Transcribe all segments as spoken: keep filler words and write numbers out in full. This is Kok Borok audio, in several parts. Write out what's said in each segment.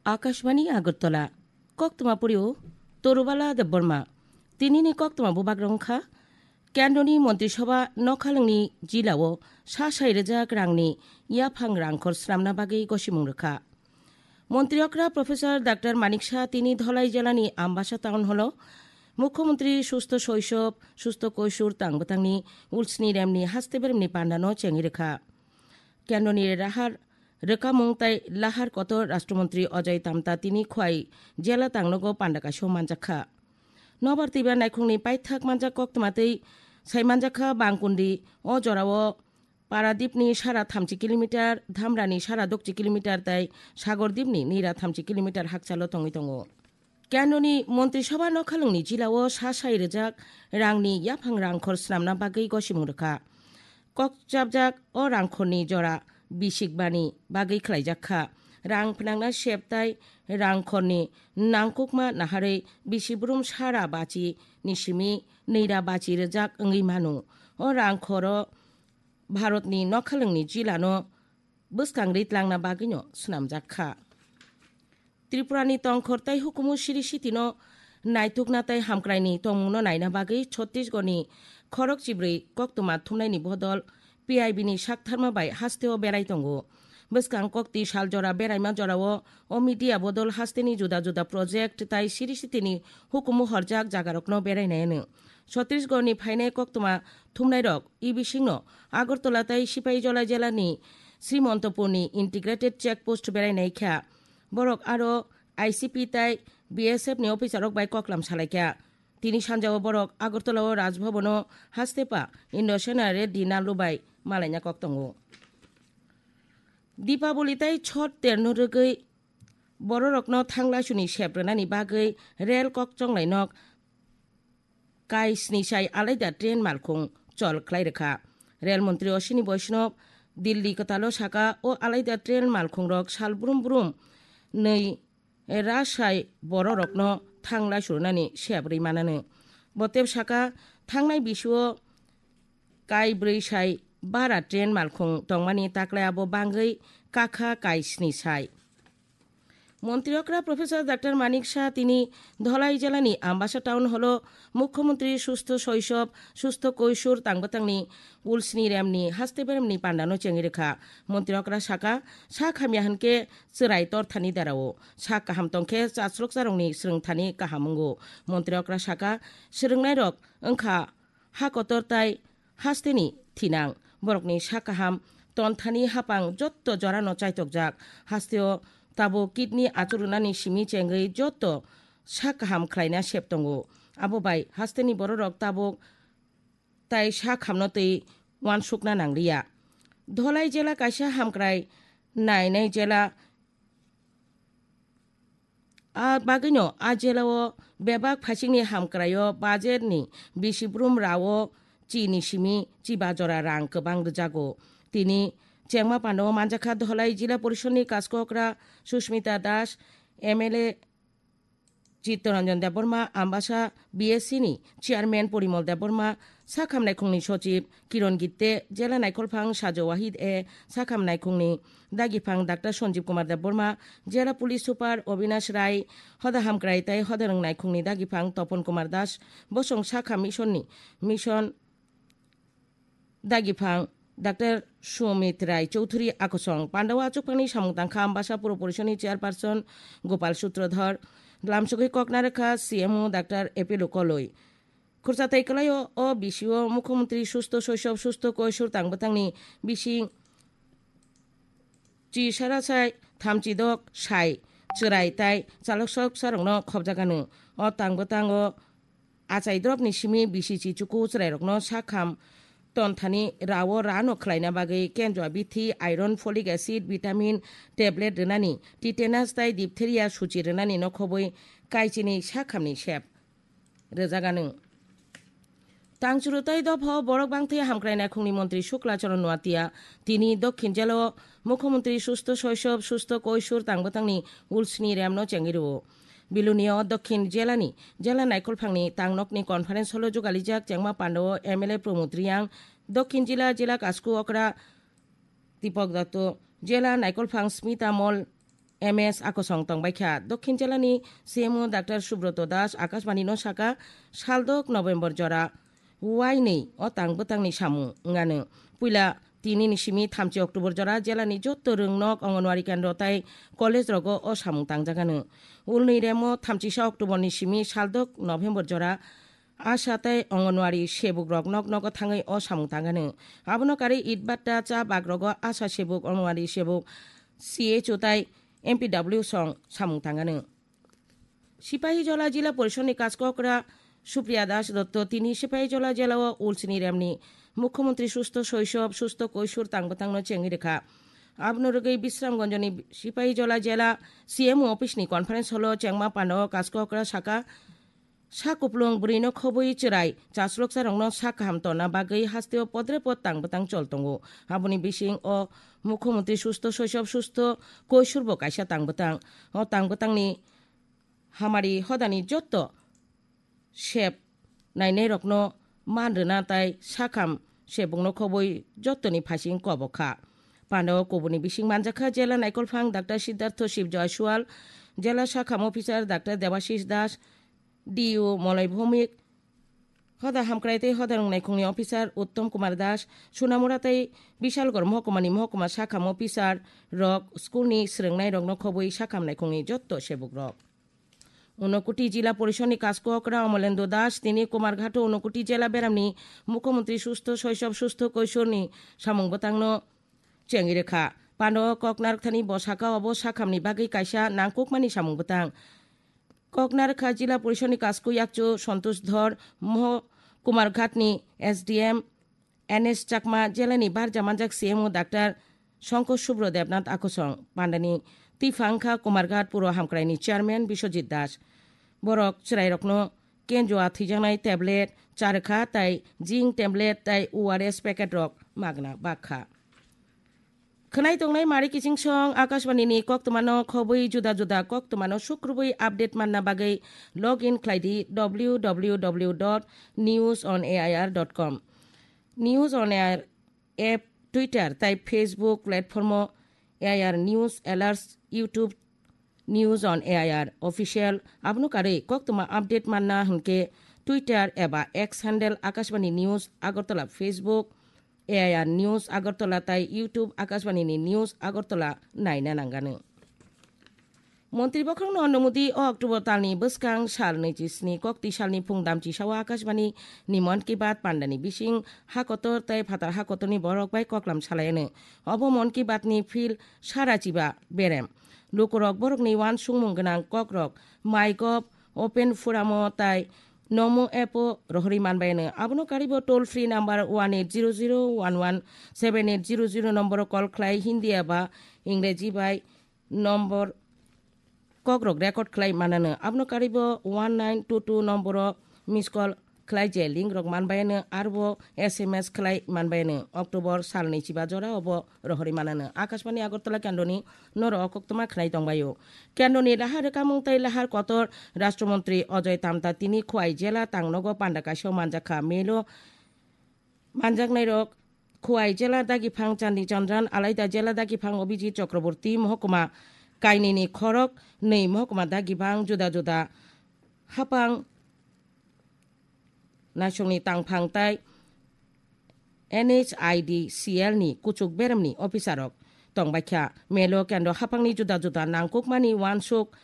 Akashbani Agartala, koktwma purio Torubala Debbarma. Tinini koktwma bubagrong kha, Kendroni Montri Sabha nokhalwngni jilao sa sai rwjak rangni yaphang rangkhor swnamna bagwi gosimung rwkha. Montri okra Professor Doctor Manik Saha tini Dholai jelani Ambasa Town Hall-o Mukhyamantri Sustho Soisob, Sustho Koisur tang bwtangni ulsni remni haste beremni pandano chengwi rwkha. Kendroni rahar rwkamung tai lahar kotor Rashtromantri Ajay Tamta tini khwai jela tangnogo panda kaisio manjakha. Nobar twiba naikhungni paithak manjak koktwma twi sai manjakha Bangkundi o jorao Paradipni sara thamchi kilometer, Dhamrani sara dokchi kilometer tai Sagordipni nira thamchi kilometer hakchalo tongwi tongo. Kendroni Montri Sabha nokhalwngni jilao sa sai rwjak rangni yaphang rangkhor swnamna bagwi gosimung rwkha. Kokchapjak o rangkhorni jora bisikbani bagwi khlaijak kha. Rang phnangna sep tai rangkhorni nangkukma naharwi bisi brum sara bachi ni simi nira bachi rwjak wngwi mano. O rangkhoro Bharatni nokhalwngni jilano bwskang ri tlangna bagwino swnamjak kha. Tripurani tongkhor tai hukumu siri sitino naitukna tai hamkraini tongmungno naina bagwi Chhattisgarhni khorok chibrwi koktwma thumnaini bodol P I B ni saktharma bai hasteo berai tongo. Bwskang kokti sal jora beraima jorao o media bodol hasteni juda juda project tai siri sitini hukumu horjak jagarokno berainai hwno. Chhattisgarhni phainai koktwma thumnairok e bisingno Agartala tai Sipaijala jelani Srimontopurni integrated check post berainai kha. Borok aro I C P tai B S F ni officerrok bai koklam salaikha. Tini sanjao borok Agartala o Raj Bhavan o hastepa Indo Sena Reddy Nallu bai malaina kok tongo. Dipaboli tai Chot terno rwgwi bororokno thanglaisuni sep rwnani bagwi rel kok chonglai nok kai sni sai alaida train malkhung chol khlai rwkha. Rel montri Ashwini Vaishnaw Delhi kwtalo saka o alaida train malkhungrok sal brum brum nwi ra sai bororokno thanglai surunani sep rwi manano. Botep saka thangnai bisio kai brwi sai bara train malkhung tongmani taklai abo bangwi kakha kai sni sai. Montri okra Professor Doctor Manik Saha tini Dholai jelani Ambasa Town Hall-o Mukhyamantri Sustho Soisob, Sustho Koisur tang bwtangni ulsni remni haste beremni pandano chengwi rwkha. Montri okra saka, sak hamya hwnkhe chwrai torthani derao, sak kaham tongkhe chasrok charongni swrwngthani kaham wngo. Montri okra saka, swrwngnairok wngkha ha kotor tai hasteni thinang. Borokni sak kaham tonthani hapang jotto jorano chaitokjak. Hasteo tabuk kidney achurunani simi chengwi jotto sak kaham khlaina sep tongo. Abo bai hasteni bororok tabuk tai sak hamno twi uansukna nangliya. Dholai jela kaisa hamkrai nainai jela. A bagwino a jelao bebak phaisingni hamkraio budgetni bisi brum rao chini simi chiba jora rang kwbang rwjago. Tini chengma pandao manjakha Dholai Jila Porishadni kaskokra Susmita Das, M L A Chittaranjan Debbarma, Ambasa B S C ni Chairman Porimol Debbarma, Sakham Naikhungni Sochib Kiron Gitte, Jela Naikolphang Sajo Wahid A, Sakham Naikhungni Dagiphang Doctor Sanjib Kumar Debbarma, Jela Police Super Obinash Rai, Hoda Hamkrai tai Hoda Rwng Naikhungni Dagiphang Topon Kumar Das, Bosong Sakham Mission ni Mission Dagiphang Doctor Sumit Rai Chowdhury akosong. Pandao achukphangni samung tangkha Ambasa Puro Porishadni Chairperson Gopal Sutrodhor, lamsogwi kok narwkha C M O Doctor Apollo Koloi. Khurchatai kwlaio o bisio Mukhyamantri Sustho Soisob Sustho Koisur tang bwtangni bising chi sara sai thamchi dok sai chwrai tai chaloksok sarokno khobjagano. O tang bwtango achai dropni simi bisi chi chuku chwrairokno sakham tonthani rao rano khlaina bagwi kendra bithi, iron, folic acid, vitamin, tablet rwnani, tetanus tai diphtheria suchi rwnani nokhobwi kaichini sakhamni sep rwjagano. Tangchwrwtai dophao borok bangthai hamkrai naikhungni montri Shukla Charan Noatia tini Dokhin jelao Mukhyamantri Sustho Soisob Sustho Koisur tang bwtangni ulsni remno chengwi rwo. Bilunio Dokhin jelani jela naikolphangni tangnokni conference hall-o jugalijak chengma pandao M L A Pramod Reang, Dokhin jila jila kasku okra Deepak Dutta, jela naikolphang Smita Mol, M S Akosong tongbaikha. Dokhin jelani C M O Doctor Subroto Das Akashbani no saka, saldok November jora wainwi o tang bwtangni samung wngano. Puila tinini simi thamchi October jora jelani jotto rwngnok, Anganwadi kendro tai college rogo o samung tangjagano. Ulni remo thamchisa October ni simi saldok November jora Asha tei Anganwadi sebuk rok nok nogo thangwi o samung tangano. Abono karwi Itbatta cha bak rogo Asha sebuk, Anganwadi sebuk, C H O tai M P W song samung tangano. Sipahijola Jila Porishod ni Kaskokra Supriya Das Dotto tini Sipahijola jela o ulsini remni Mukhyamantri Sustho Soisob Sustho Koisur tang bwtangno chengwi rwkha. Abono rwgwi Bisramganjni Sipahijola jela C M O office ni conference hall o chengma panda o Kaskokra saka, sa kuplung bwrwino khobwi chwrai chasloksa rokno sa kaham tonna bagwi hasteo podre pod tang bwtang chol tongo. Aboni bising o Mukhyamantri Sustho Soisob Sustho Koisur bo kaisa tang bwtang. O tang bwtangni hamari hodani jotto sep nainairokno man rwna tai sakham sebukno khobwi jottoni phaising kobok kha. Pandao kubuni bising manjakha jela naikolphang Doctor Siddhartho Shiv Joysual, jela sakham officer Doctor Debashish Das, D U Moloi Bhowmik, hoda hamkrai tei hoda rwngnaikhungni officer Uttom Kumar Das, Sunamura tei Bishalgarh mohkumani mohkuma sakham officer rok school ni swrwngnairokno khobwi sakham naikhungni jotto sebukrok. Unakoti Jila Porishod ni Kaskokra Amalendra Das tini Kumarghat o Unakoti jela beramni Mukhyamantri Sustho Soisob Sustho Koisur ni samung bwtangno chengwi rwkha. Pando kok narwkthani bo saka obo sakhamni bagwi kaisa nangkukmani samung bwtang. Kok narwkha Jila Porishod ni Kasko Yakchu Santosh Dhor, Moho Kumarghat ni S D M N S Chakma, jelani barja manjak C M O Doctor Shankar Subro Debnath Akosong, pandani twiphang kha Kumarghat Puro Hamkraini Chairman Biswajit Das. Borok chwrairokno kenjua thwijaknai tablet, charwkha tai zinc tablet tai O R S packet rok magna bakha. Khwnai tongnai mari kiching song Akashbani ni koktwmano khobwi juda juda koktwmano sukrubwi update manna bagwi log in khlai di w w w dot news on A I R dot com. News on A I R app, Twitter tai Facebook platform o A I R News Alerts, YouTube News on A I R Official, abono karwi koktwma update manna hwnkhe Twitter eba X handle Akashbani News Agartala, Facebook A I R News Agartala tai YouTube Akashbani ni News Agartala naina nangano. Montri bokhorokno Narendra Modi o October talni bwskang sal naichi sni kokti salni phung damchi sao Akashbani ni Mann Ki Baat pandani bising hakotor tai phatar hakotorni borok bai koklam salaiano. Obo Mann Ki Baat ni phil sara chiba berem. Lukurok borokni uansukmung gwnang kokrok MyGov, Open Forum o tai Namo app o rohorwi manbaino. Abono karibo toll free number one eight zero zero one one seven eight zero zero nomboro call khlai Hindi eba Ingreji bai nombor kokrok record khlai manano. Abono karibo one nine two two nomboro miss call khlai je link rok manbaino, arbo S M S khlai manbaino. October salni chiba jora obo rohorwi manano. Akashbani Agartala kendroni noro o koktwma khnai tongbaio. Kendroni lahar rwkamung tei lahar kotor Rashtra Montri Ajoy Tamta tini Khowai jela tangnogo panda kaisa manjakha. Melo manjaknairok Khowai jela dagiphang Chandi Chandran, alaida jela dagiphang Abhijit Chakraborty, mohokuma kainwini khorok nwi mohokuma dagiphang juda juda hapang naisongni tangphang tai N H I D C L ni kuchuk beremni officer rok tongbaikha. Melo kendro haphangni juda juda nangkukmani uansuk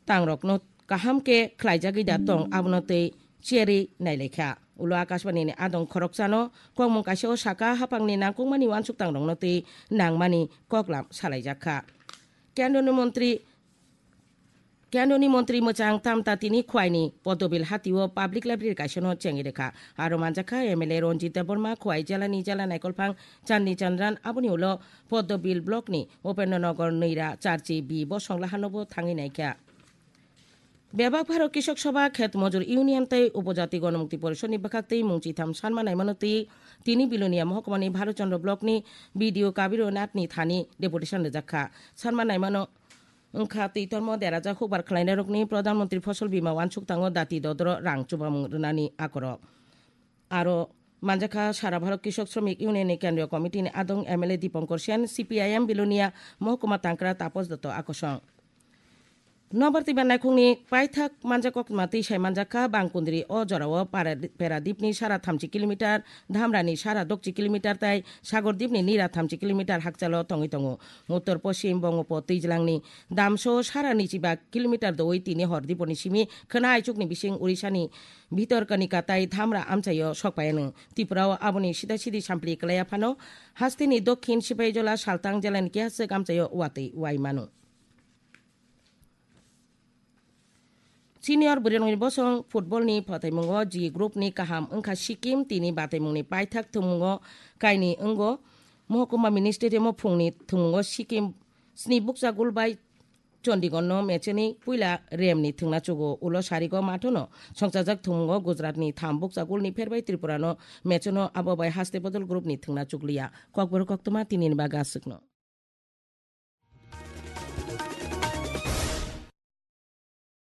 tangrokno kaham khe khlaijagwi da tong, abono twi cherwi nailaikha. Ulo Akashbani ni adong khoroksano kokmung kaisa o saka, haphangni nangkukmani uansuk tangrokno twi nangmani koklam salaijakha. Kendroni montri Kendroni montri mwchang Tamta tini Khwaini Podobil hatio public library kaisano chengwi rwkha. Aro manjakha M L A Ranjit Debbarma, Khwai jelani jela naikolphang Chandi Chandran, aboni ulo Podobil block ni Upendra Nagar Noira Charchi B bosong lahanobo thangwi naikha. Bebak Bharok Kishok Sabha, Khet Mojur Union tei Upojati Gonomukti Porishod ni bwkhak twi mung chitham sanma naimano twi tini Bilonia mohokuma ni Bharat Chandra block ni B D O Kabir Nath ni thani deputation rwjakha. Sanma naimano wngkha twi tormo derajak hukbar khlainairokni Pradhan Mantri Fosol Bima uansuk tango dati dodoro rang chubamung rwnani akorok. Aro manjakha Sara Bharok Kishok Shramik Union ni Kendriya Committee ni adong M L A Dipankar Sen, C P I M Bilonia mohokuma tangkra Tapos Dotto Akosong. Nobar twiba naikhungni paithak manjak koktwma twi sai manjak kha, Bangkundri o jorao Para-, Peradipni sara thamchi kilometer, Dhamrani sara dokchi kilometer tai Sagordipni nira thamchi kilometer hakchalo tongwi tongo. Uttor Poschim Bongopo Twijlangni Damso sara nichiba kilometer doui tini hor diponi simi khwna aichukni bising Urisani Bhitor Kanika tai Dhamra amchaio sokpaiano. Tripurao aboni sida sidi sampli kwlaiya phano hasteni Dokhin Sipaijola Saltang jelani kehaswk amchaio watwi wai mano. Senior bwrwirokni bosong football ni phataimungo G group ni kaham wngkha Sikkim, tini bataimungni paithak thwngmungo kainwi wngo. Mohokuma mini stadium o phungni thwngmungo Sikkim sni bukcha gol bai Chandigarh no mecheni puila rem ni thwngna chugo, ulo sarigo mathono songchajak thwngmungo Gujarat ni tham bukcha gol ni pherbai Tripura no mechono, abo bai haste bodol group ni thwngna chukliya. Kokborok koktwma tini ni baga aswkno.